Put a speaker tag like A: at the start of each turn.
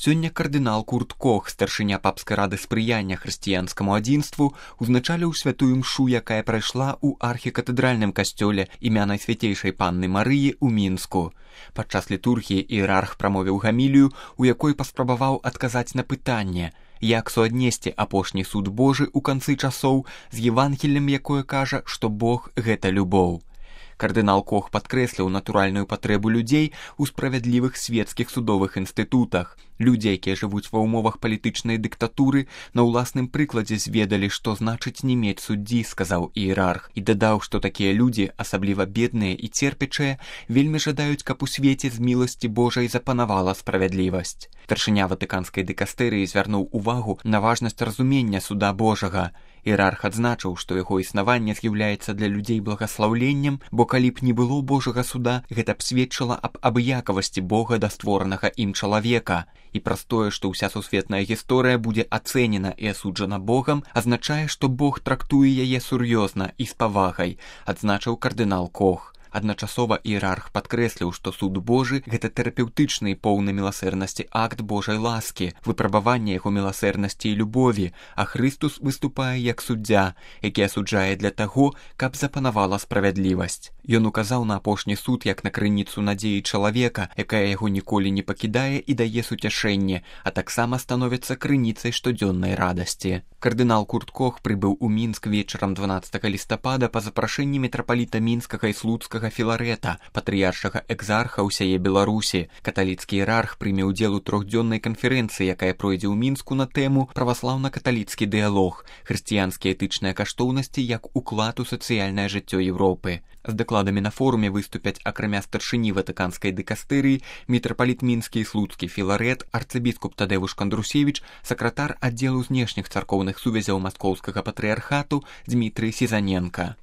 A: Сёння кардынал Курт Кох, старшыня папскай рады спрыяння хрысціянскаму адзінству, узначаліў святую мшу, якая прайшла ў архікатэдральным касцёле імя Найсвяцейшай Панны Марыі ў Мінску. Падчас літургіі іерарх прамовіў гамілію, у якой паспрабаваў адказаць на пытанне, як суаднесці апошні суд Божы ў канцы часоў з Евангеллем, якое кажа, што Бог – гэта любоў. Кардынал Кох падкрэсліў натуральную патрэбу людзей у справядлівых свецкіх судовых інстытутах. Людзі, якія жывуць ва ўмовах палітычнай дыктатуры, на ўласным прыкладзе зведалі, што значыць не мець суддзі, сказаў іерарх, і дадаў, што такія людзі, асабліва бедныя і церпячыя, вельмі жадаюць, каб у свеце з міласці Божай запанавала справядлівасць. Старшыня ватыканскай дыкастэрыі звярнуў увагу на важнасць разумення суда Божага. Іерарх адзначыў, што яго існаванне з'яўляецца для людзей благаслаўленнем, бо калі б не было Божага суда, гэта б сведчыла аб абыякавасці Бога да створанага ім чалавека. І праз тое, што ўся сусветная гісторыя будзе ацэнена і асуджана Богам, азначае, што Бог трактуе яе сур'ёзна і з павагай, адзначыў кардынал Кох. Адначасова іерарх падкрэсліў, што суд Божы – гэта тэрапеўтычны і поўны міласэрнасці акт Божай ласкі, выпрабаванне яго міласэрнасці і любові, а Хрыстус выступае як суддзя, які асуджае для таго, каб запанавала справядлівасць. Ён указаў на апошні суд як на крыніцу надзеі чалавека, якая яго ніколі не пакідае і дае суцяшэнне, а таксама становіцца крыніцай штодзённай радасці. Кардынал Курт Кох прыбыў у Мінск вечарам 12 лістапада па запрашэнні мітрапаліта Мінскага і Слуцкага Філарэта, патрыяршага экзарха ўсяе Беларусі. Каталіцкі іерарх прыме ўдзел у трохдзённай канферэнцыі, якая пройдзе ў Мінску на тэму «Праваслаўна-каталіцкі дыялог. Хрысціянскія этычныя каштоўнасці як уклад у сацыяльнае жыццё Еўропы». З дакладамі на форуме выступяць акрамя старшыні ватыканскай дыкастэрыі, мітрапаліт Мінскі і Слуцкі Філарэт, арцыбіскуп Тадэвуш Кандрусевіч, сакратар аддзелу знешніх царкоўных сувязяў маскоўскага патрыярхату Дзмітрый Сізаненка.